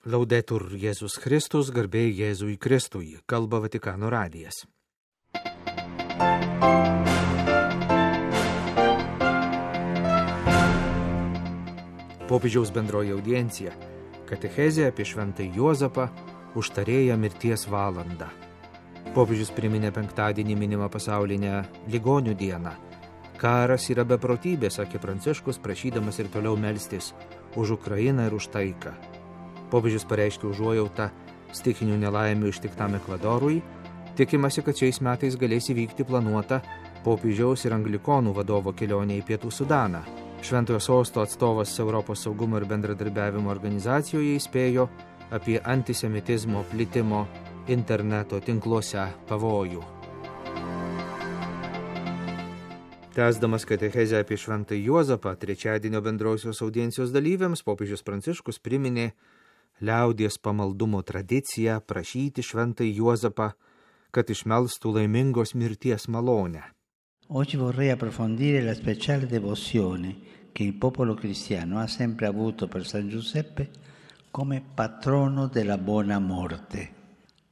Laudetur Jėzus Kristus, garbė Jėzui Kristui, kalba Vatikano radijas. Popiežiaus bendroji audiencija, katechezė apie šventąjį Juozapą, užtarėją mirties valandą. Popiežius priminė penktadienį minimą pasaulinę ligonių dieną. Karas yra beprotybė, sakė Pranciškus, prašydamas ir toliau melstis už Ukrainą ir už taiką. Popiežius pareiškė užuojautą stichinių nelaimių ištiktam Ekvadorui. Tikimasi, kad šiais metais galės įvykti planuota popiežiaus ir anglikonų vadovo kelionė į Pietų Sudaną. Šventojo sosto atstovas Europos saugumo ir bendradarbiavimo organizacijoje įspėjo apie antisemitizmo plitimo interneto tinkluose pavojų. Tęsdamas katechezę apie šventąjį Juozapą, trečiadienio bendrosios audiencijos dalyviams popiežius Pranciškus priminė liaudies pamaldumo tradiciją prašyti šventąjį Juozapą, kad išmelstų laimingos mirties malonę. Oggi vorrei approfondire la speciale devozione che il popolo cristiano ha sempre avuto per San Giuseppe come patrono della buona morte.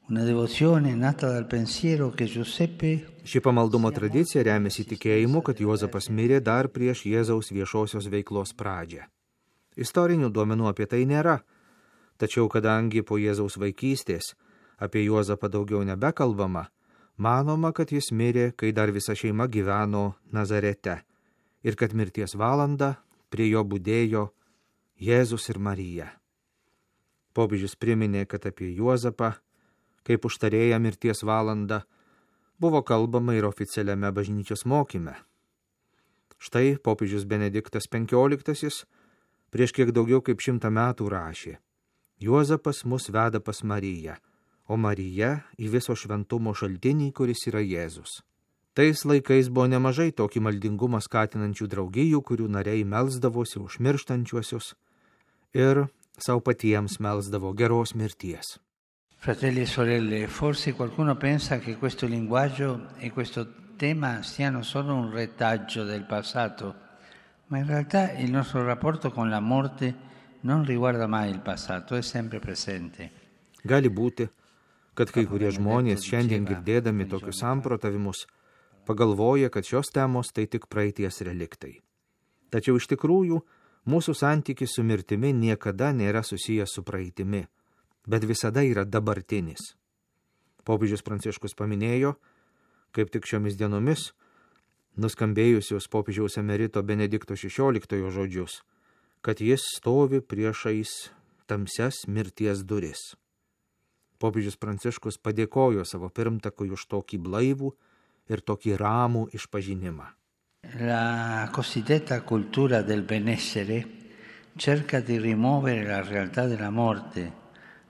Una devozione nata dal pensiero che Giuseppe... Ši pamaldumo tradicija remiasi tikėjimu, kad Juozapas mirė dar prieš Jėzaus viešosios veiklos pradžią. Istorinių duomenų apie tai nėra, tačiau kadangi po Jėzaus vaikystės apie Juozapą daugiau nebekalbama, manoma, kad jis mirė, kai dar visa šeima gyveno Nazarete ir kad mirties valandą prie jo budėjo Jėzus ir Marija. Popiežius priminė, kad apie Juozapą, kaip užtarėją mirties valandą, buvo kalbama ir oficialiame bažnyčios mokyme. Štai popiežius Benediktas XV prieš kiek daugiau kaip 100 metų rašė: Juozapas mus veda pas Mariją, o Marija į viso šventumo šaltinį, kuris yra Jėzus. Tais laikais buvo nemažai tokį maldingumą skatinančių draugijų, kurių nariai melsdavosi už mirštančiuosius ir savo patiems melsdavo geros mirties. Fratelli e sorelle, forse qualcuno pensa che questo linguaggio e questo tema siano solo un retaggio del passato, ma in realtà il nostro rapporto con la morte non riguarda mai il passato, è sempre presente. Gali būti, kad kai kurie žmonės šiandien girdėdami tokius samprotavimus pagalvoja, kad šios temos tai tik praeities reliktai. Tačiau iš tikrųjų mūsų santykis su mirtimi niekada nėra susijęs su praeitimi, bet visada yra dabartinis. Popiežius Pranciškus paminėjo, kaip tik šiomis dienomis, nuskambėjusius popiežiaus emerito Benedikto XVI žodžius, kad jis stovi priešais tamsias mirties duris. Popiežius Pranciškus padėkojo savo pirmtakui už tokį blaivų ir tokį ramų išpažinimą. La cosiddetta cultura del benessere cerca di rimuovere la realtà della morte,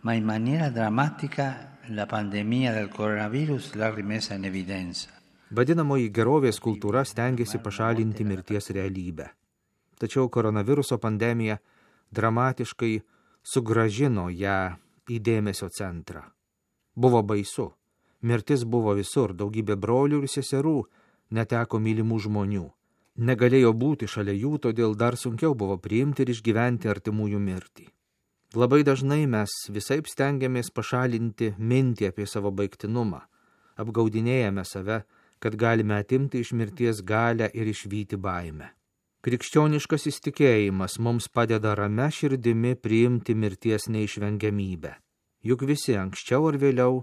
ma in maniera drammatica la pandemia del coronavirus l'ha rimessa in evidenza. Vadinamoji gerovės kultūra stengiasi pašalinti mirties realybę. Tačiau koronaviruso pandemija dramatiškai sugrąžino ją į dėmesio centrą. Buvo baisu. Mirtis buvo visur, daugybė brolių ir seserų neteko mylimų žmonių. Negalėjo būti šalia jų, todėl dar sunkiau buvo priimti ir išgyventi artimųjų mirtį. Labai dažnai mes visaip stengiamės pašalinti mintį apie savo baigtinumą. Apgaudinėjame save, kad galime atimti iš mirties galią ir išvyti baimę. Krikščioniškas įsitikėjimas mums padeda ramia širdimi priimti mirties neišvengiamybę. Juk visi anksčiau ar vėliau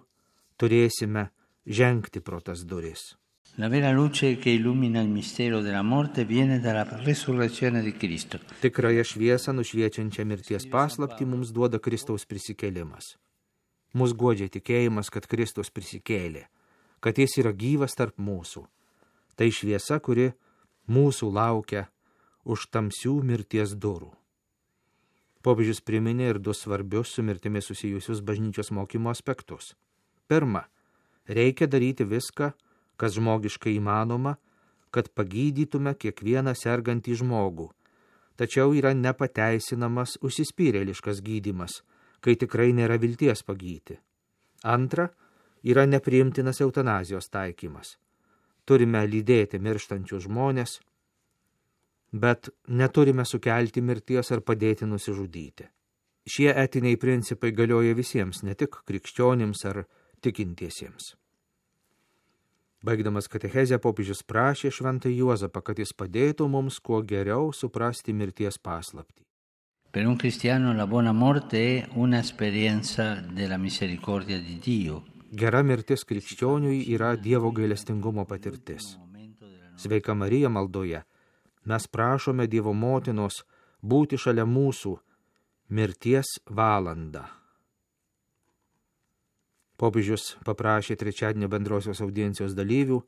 turėsime žengti pro tas duris. La vera luce che illumina il mistero della morte viene dalla resurrezione di Cristo. Tikrąją šviesą nušviečiančią mirties paslaptį mums duoda Kristaus prisikėlimas. Mus guodžia tikėjimas, kad Kristus prisikėlė, kad jis yra gyvas tarp mūsų. Tai šviesa, kuri mūsų laukia už tamsių mirties durų. Popiežius priminė ir 2 svarbius su mirtimi susijusius bažnyčios mokymo aspektus. Pirma, reikia daryti viską, kas žmogiškai įmanoma, kad pagydytume kiekvieną sergantį žmogų. Tačiau yra nepateisinamas užsispyrėliškas gydymas, kai tikrai nėra vilties pagydyti. Antra, yra nepriimtinas eutanazijos taikymas. Turime lydėti mirštančius žmonės, bet neturime sukelti mirties ar padėti nusižudyti. Šie etiniai principai galioja visiems, ne tik krikščionims ar tikintiesiems. Baigdamas katechezę, popiežius prašė šventą Juozapą, kad jis padėtų mums kuo geriau suprasti mirties paslaptį. Per un cristiano la buona morte è un'esperienza della misericordia di Dio. Gera mirtis krikščioniui yra Dievo gailestingumo patirtis. Sveika Marija maldoje mes prašome Dievo motinos būti šalia mūsų mirties valandą. Popiežius paprašė trečiadienio bendrosios audiencijos dalyvių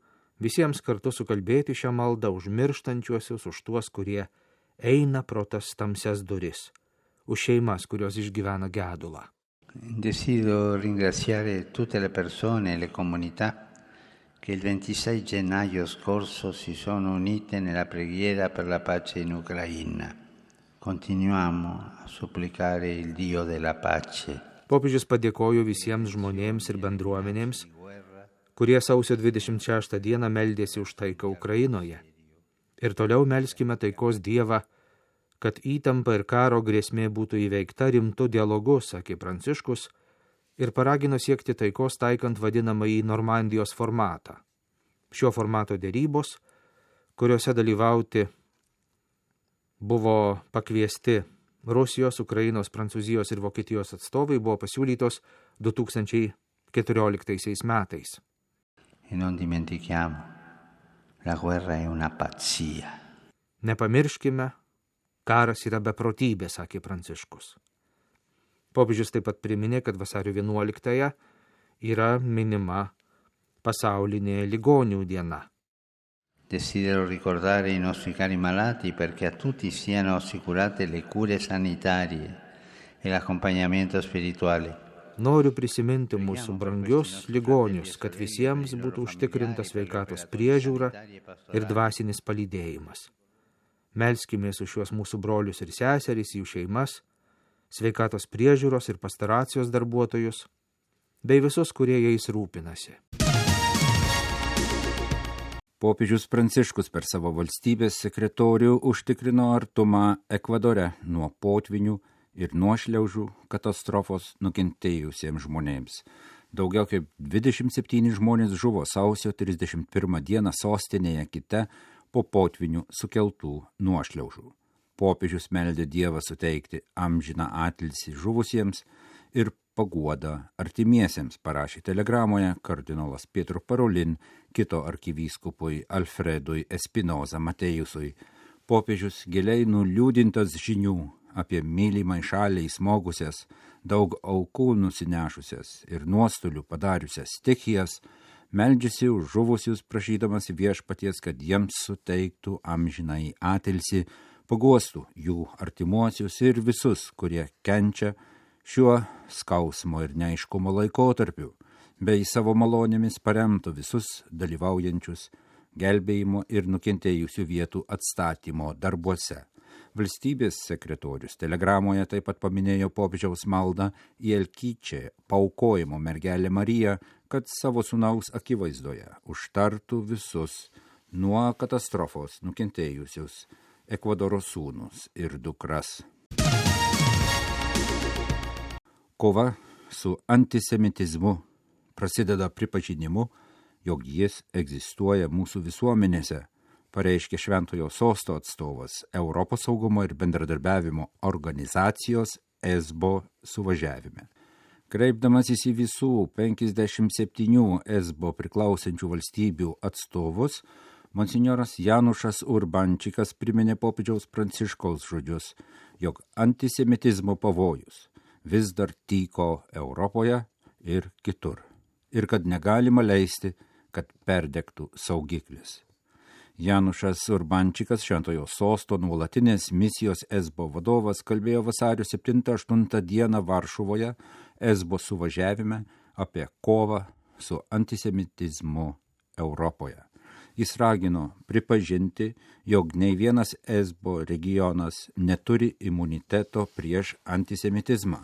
visiems kartu sukalbėti šią maldą už mirštančiuosius, už tuos, kurie eina pro tas tamsias duris, už šeimas, kurios išgyvena gedulą. Desidero ringraziare tutte le persone e le comunità che il 26 gennaio scorso si sono unite nella preghiera per la pace in Ucraina. Continuiamo a supplicare il Dio della pace. Popiežius padėkojo visiems žmonėms ir bendruomenėms, kurie sausio 26 dieną meldėsi už taiką Ukrainoje. Ir toliau melskime taikos Dievą, kad įtampa ir karo grėsmė būtų įveikta rimtu dialogu, sakė Pranciškus, ir paragino siekti taikos taikant vadinamąjį Normandijos formatą. Šio formato derybos, kuriuose dalyvauti buvo pakviesti Rusijos, Ukrainos, Prancūzijos ir Vokietijos atstovai, buvo pasiūlytos 2014 metais. E non dimentichiamo, la guerra è una pazzia. Nepamirškime, karas yra beprotybė, sakė Pranciškus. Popiežius taip pat priminė, kad vasario 11 yra minima pasaulinė ligonių diena. Desidero ricordare i nostri cari malati perché a tutti siano assicurate le cure sanitarie e l'accompagnamento spirituale. Noriu prisiminti mūsų brangius ligonius, kad visiems būtų užtikrinta sveikatos priežiūra ir dvasinis palydėjimas. Melskimės už šiuos mūsų brolius ir seseris, jų šeimas, sveikatos priežiūros ir pastoracijos darbuotojus, bei visus, kurie jais rūpinasi. Popiežius Pranciškus per savo valstybės sekretorių užtikrino artumą Ekvadore nuo potvinių ir nuošliaužų katastrofos nukentėjusiems žmonėms. Daugiau kaip 27 žmonės žuvo sausio 31 dieną sostinėje Kite po potvinių sukeltų nuošliaužų. Popiežius meldė Dievą suteikti amžiną atilsį žuvusiems ir paguodą artimiesiems, parašė telegramoje kardinolas Pietro Parolin kito arkivyskupui Alfredui Espinoza Matėjusui. Popiežius giliai nuliūdintas žinių apie mylimai šaliai smogusias, daug aukų nusinešusias ir nuostolių padariusias stichijas, meldžiasi už žuvusius, prašydamas viešpaties, kad jiems suteiktų amžinai atilsį, paguostų jų artimuosius ir visus, kurie kenčia šiuo skausmo ir neaiškumo laikotarpiu, bei savo malonėmis paremtų visus dalyvaujančius gelbėjimo ir nukentėjusių vietų atstatymo darbuose. Valstybės sekretorius telegramoje taip pat paminėjo popiežiaus maldą į Elkyčę paaukojimo mergelę Mariją, kad savo sūnaus akivaizdoje užtartų visus nuo katastrofos nukentėjusius Ekvadoro sūnus ir dukras. Kova su antisemitizmu prasideda pripažinimu, jog jis egzistuoja mūsų visuomenėse, pareiškė Šventojo Sosto atstovas Europos saugumo ir bendradarbiavimo organizacijos ESBO suvažiavime. Kreipdamasis į visų 57 ESBO priklausančių valstybių atstovus, monsinjoras Janušas Urbančikas priminė popiežiaus Pranciškaus žodžius, jog antisemitizmo pavojus vis dar tyko Europoje ir kitur, ir kad negalima leisti, kad perdegtų saugiklis. Janušas Urbančikas, Šventojo Sosto nuolatinės misijos ESBO vadovas, kalbėjo vasario 7-8 dieną Varšuvoje ESBO suvažiavime apie kovą su antisemitizmu Europoje. Jis ragino pripažinti, jog nei vienas ESBO regionas neturi imuniteto prieš antisemitizmą.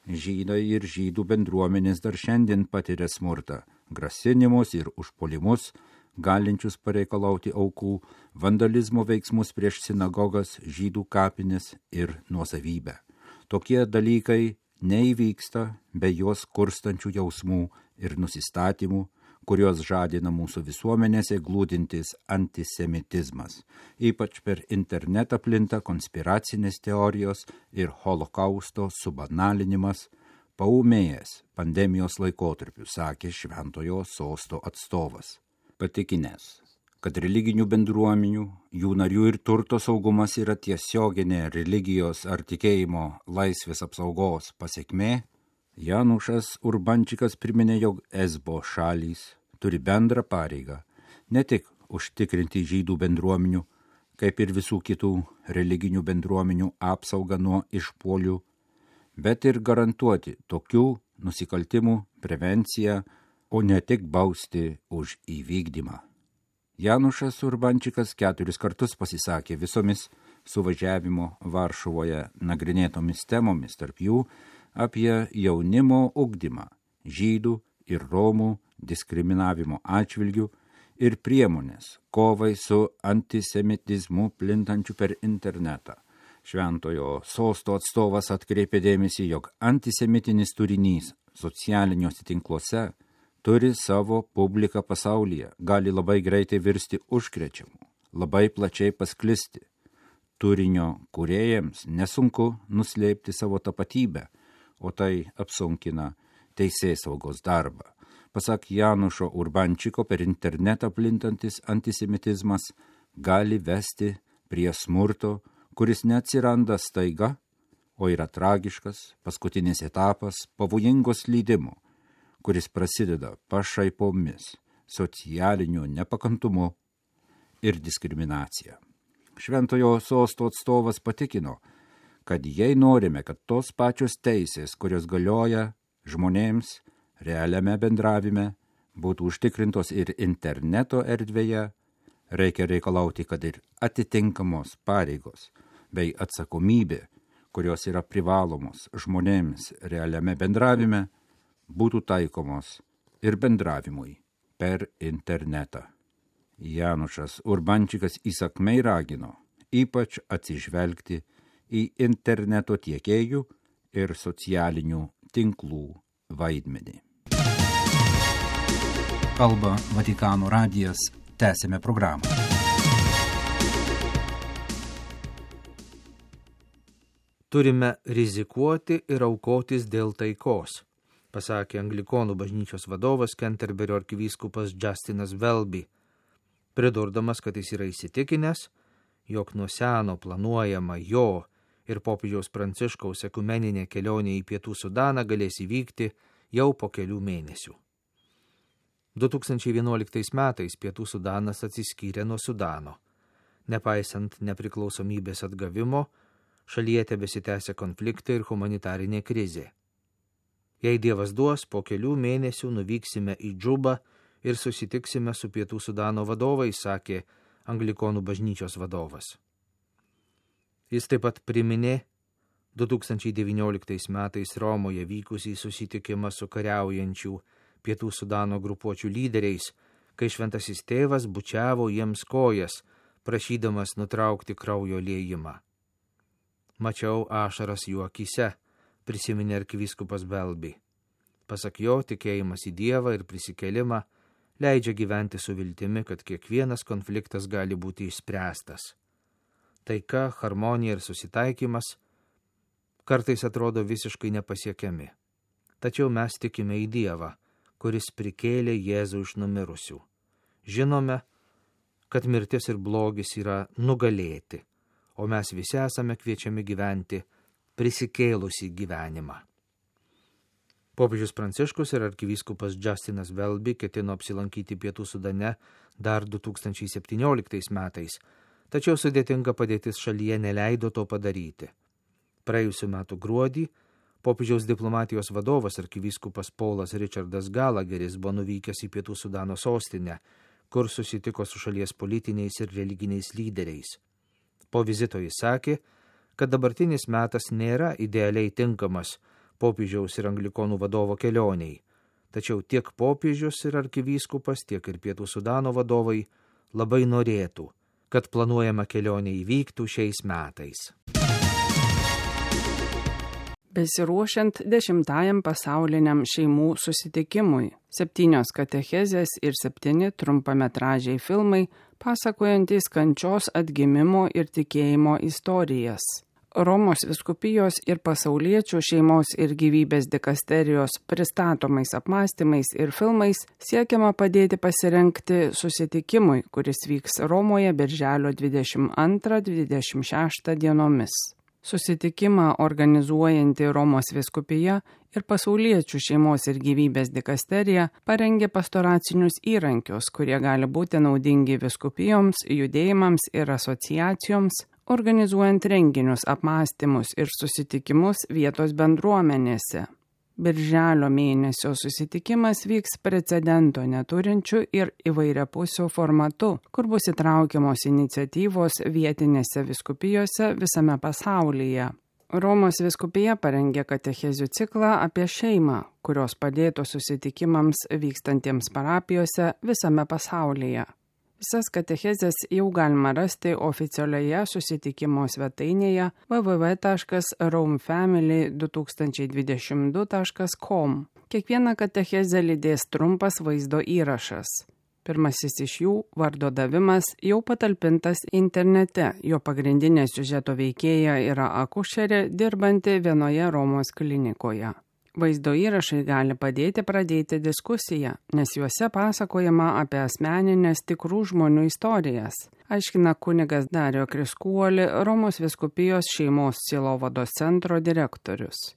Žydai ir žydų bendruomenės dar šiandien patiria smurtą, grasinimus ir užpuolimus, galinčius pareikalauti aukų, vandalizmo veiksmus prieš sinagogas, žydų kapines ir nuosavybę. Tokie dalykai neįvyksta be juos kurstančių jausmų ir nusistatymų, kurios žadina mūsų visuomenėse glūdintis antisemitizmas. Ypač per internetą plinta konspiracinės teorijos ir holokausto subanalinimas, paūmėjęs pandemijos laikotarpiu, sakė Šventojo Sosto atstovas. Patikinęs, kad religinių bendruomenių, jų narių ir turto saugumas yra tiesioginė religijos ar tikėjimo laisvės apsaugos pasekmė, Janušas Urbančikas priminė, jog ESBO šalys turi bendrą pareigą ne tik užtikrinti žydų bendruomenių, kaip ir visų kitų religinių bendruomenių apsaugą nuo išpuolių, bet ir garantuoti tokių nusikaltimų prevenciją, o ne tik bausti už įvykdymą. Janušas Urbančikas 4 kartus pasisakė visomis suvažiavimo Varšuvoje nagrinėtomis temomis, tarp jų apie jaunimo ugdymą, žydų ir romų diskriminavimo atžvilgių ir priemonės kovai su antisemitizmu plintančiu per internetą. Šventojo Sosto atstovas atkreipė dėmesį, jog antisemitinis turinys socialiniuose tinkluose turi savo publiką pasaulyje, gali labai greitai virsti užkrečiamu, labai plačiai pasklisti. Turinio kūrėjams nesunku nuslėpti savo tapatybę, o tai apsunkina teisėsaugos darbą. Pasak Janušo Urbančiko, per internetą plintantis antisemitizmas gali vesti prie smurto, kuris neatsiranda staiga, o yra tragiškas, paskutinis etapas pavojingos slydimo, kuris prasideda pašaipomis, socialiniu nepakantumu ir diskriminacija. Šventojo Sosto atstovas patikino, kad jei norime, kad tos pačios teisės, kurios galioja žmonėms realiame bendravime, būtų užtikrintos ir interneto erdvėje, reikia reikalauti, kad ir atitinkamos pareigos bei atsakomybė, kurios yra privalomos žmonėms realiame bendravime, būtų taikomos ir bendravimui per internetą. Janušas Urbančikas įsakmiai ragino ypač atsižvelgti į interneto tiekėjų ir socialinių tinklų vaidmenį. Kalba Vatikano radijas, tęsime programą. Turime rizikuoti ir aukotis dėl taikos, pasakė Anglikonų bažnyčios vadovas Kenterberio arkivyskupas Justinas Welby, pridurdamas, kad jis yra įsitikinęs, jog nuo seno planuojama jo ir popiežiaus Pranciškaus ekumeninė kelionė į Pietų Sudaną galės įvykti jau po kelių mėnesių. 2011 metais Pietų Sudanas atsiskyrė nuo Sudano. Nepaisant nepriklausomybės atgavimo, šalyje tebesitęsia konfliktai ir humanitarinė krizė. Jei Dievas duos, po kelių mėnesių nuvyksime į Džubą ir susitiksime su Pietų Sudano vadovais, sakė Anglikonų bažnyčios vadovas. Jis taip pat priminė 2019 metais Romoje vykusį susitikimą su kariaujančių Pietų Sudano grupuočių lyderiais, kai šventasis tėvas bučiavo jiems kojas, prašydamas nutraukti kraujo liejimą. Mačiau ašaras jų akyse, prisiminė arkivyskupas Welby. Pasak jo, tikėjimas į Dievą ir prisikėlimą leidžia gyventi su viltimi, kad kiekvienas konfliktas gali būti išspręstas. Taika, harmonija ir susitaikymas kartais atrodo visiškai nepasiekiami. Tačiau mes tikime į Dievą, kuris prikėlė Jėzų iš numirusių. Žinome, kad mirtis ir blogis yra nugalėti, o mes visi esame kviečiami gyventi prisikėlusį gyvenimą. Popiežius Pranciškus ir arkivyskupas Justinas Welby ketino apsilankyti Pietų Sudane dar 2017 metais, tačiau sudėtinga padėtis šalyje neleido to padaryti. Praėjusiu metu gruodį popiežiaus diplomatijos vadovas arkivyskupas Paulas Richardas Gallagheris buvo nuvykęs į Pietų Sudano sostinę, kur susitiko su šalies politiniais ir religiniais lyderiais. Po vizito jis sakė, kad dabartinis metas nėra idealiai tinkamas popiežiaus ir anglikonų vadovo kelioniai, tačiau tiek popiežius ir arkivyskupas, tiek ir Pietų Sudano vadovai labai norėtų, kad planuojama kelionė įvyktų šiais metais. Besiruošiant 10 pasauliniam šeimų susitikimui, 7 katechezės ir 7 trumpametražiai filmai, pasakojantys kančios, atgimimo ir tikėjimo istorijas. Romos vyskupijos ir pasauliečių šeimos ir gyvybės dikasterijos pristatomais apmąstymais ir filmais siekiama padėti pasirengti susitikimui, kuris vyks Romoje birželio 22-26 dienomis. Susitikimą organizuojanti Romos vyskupija ir pasauliečių šeimos ir gyvybės dikasterija parengė pastoracinius įrankius, kurie gali būti naudingi vyskupijoms, judėjimams ir asociacijoms, organizuojant renginius, apmąstymus ir susitikimus vietos bendruomenėse. Birželio mėnesio susitikimas vyks precedento neturinčių ir įvairiapusių formatu, kur bus įtraukiamos iniciatyvos vietinėse vyskupijose visame pasaulyje. Romos vyskupija parengė katechezių ciklą apie šeimą, kurios padėtų susitikimams vykstantiems parapijose visame pasaulyje. Visas katechezės jau galima rasti oficialioje susitikimo svetainėje www.romefamily2022.com. Kiekvieną katechezę lydės trumpas vaizdo įrašas. Pirmasis iš jų, vardo davimas, jau patalpintas internete. Jo pagrindinė siužeto veikėja yra akušerė, dirbanti vienoje Romos klinikoje. Vaizdo įrašai gali padėti pradėti diskusiją, nes juose pasakojama apie asmeninės tikrų žmonių istorijas, aiškina kunigas Dario Kriskuoli, Romos vyskupijos šeimos sielovados centro direktorius.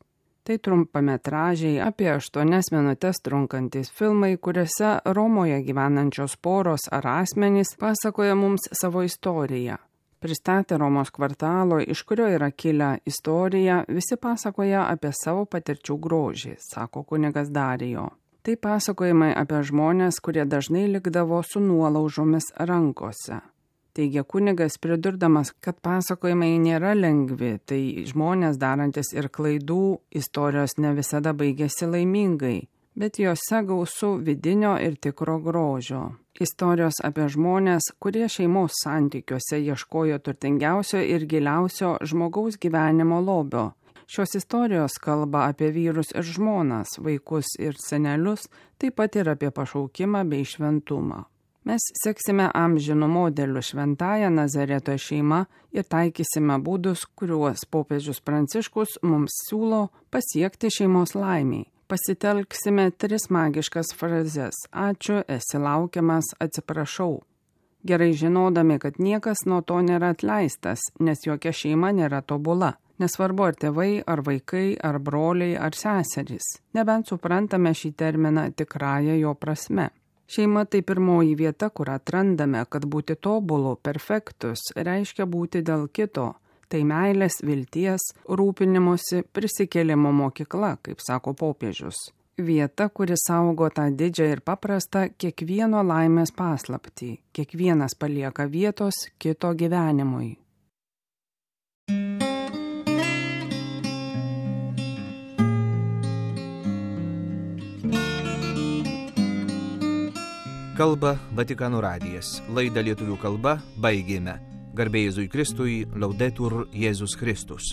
Tai trumpametražiai apie 8 minutes trunkantys filmai, kuriuose Romoje gyvenančios poros ar asmenys pasakoja mums savo istoriją. Pristatė Romos kvartalo, iš kurio yra kilę istoriją, visi pasakoja apie savo patirčių grožį, sako kunigas Darijo. Tai pasakojimai apie žmonės, kurie dažnai likdavo su nuolaužomis rankose. Teigia kunigas, pridurdamas, kad pasakojimai nėra lengvi, tai žmonės darantis ir klaidų, istorijos ne visada baigėsi laimingai, bet jose gausu vidinio ir tikro grožio. Istorijos apie žmonės, kurie šeimos santykiuose ieškojo turtingiausio ir giliausio žmogaus gyvenimo lobio. Šios istorijos kalba apie vyrus ir žmonas, vaikus ir senelius, taip pat ir apie pašaukimą bei šventumą. Mes seksime amžinų modelių šventąją Nazareto šeimą ir taikysime būdus, kuriuos popiežius Pranciškus mums siūlo pasiekti šeimos laimiai. Pasitelksime 3 magiškas frazes – ačiū, esi laukiamas, atsiprašau. Gerai žinodami, kad niekas nuo to nėra atleistas, nes jokia šeima nėra tobula. Nesvarbu ar tėvai, ar vaikai, ar broliai, ar seserys. Nebent suprantame šį terminą tikrąją jo prasme. Šeima tai pirmoji vieta, kur atrandame, kad būti tobulu, perfektus, reiškia būti dėl kito. Tai meilės, vilties, rūpinimosi, prisikėlimo mokykla, kaip sako popiežius. Vieta, kuri saugo tą didžią ir paprastą kiekvieno laimės paslaptį. Kiekvienas palieka vietos kito gyvenimui. Kalba Vatikano radijas. Laidą lietuvių kalba baigėme. Garbė Jėzui Kristui, Laudetur Jėzus Kristus.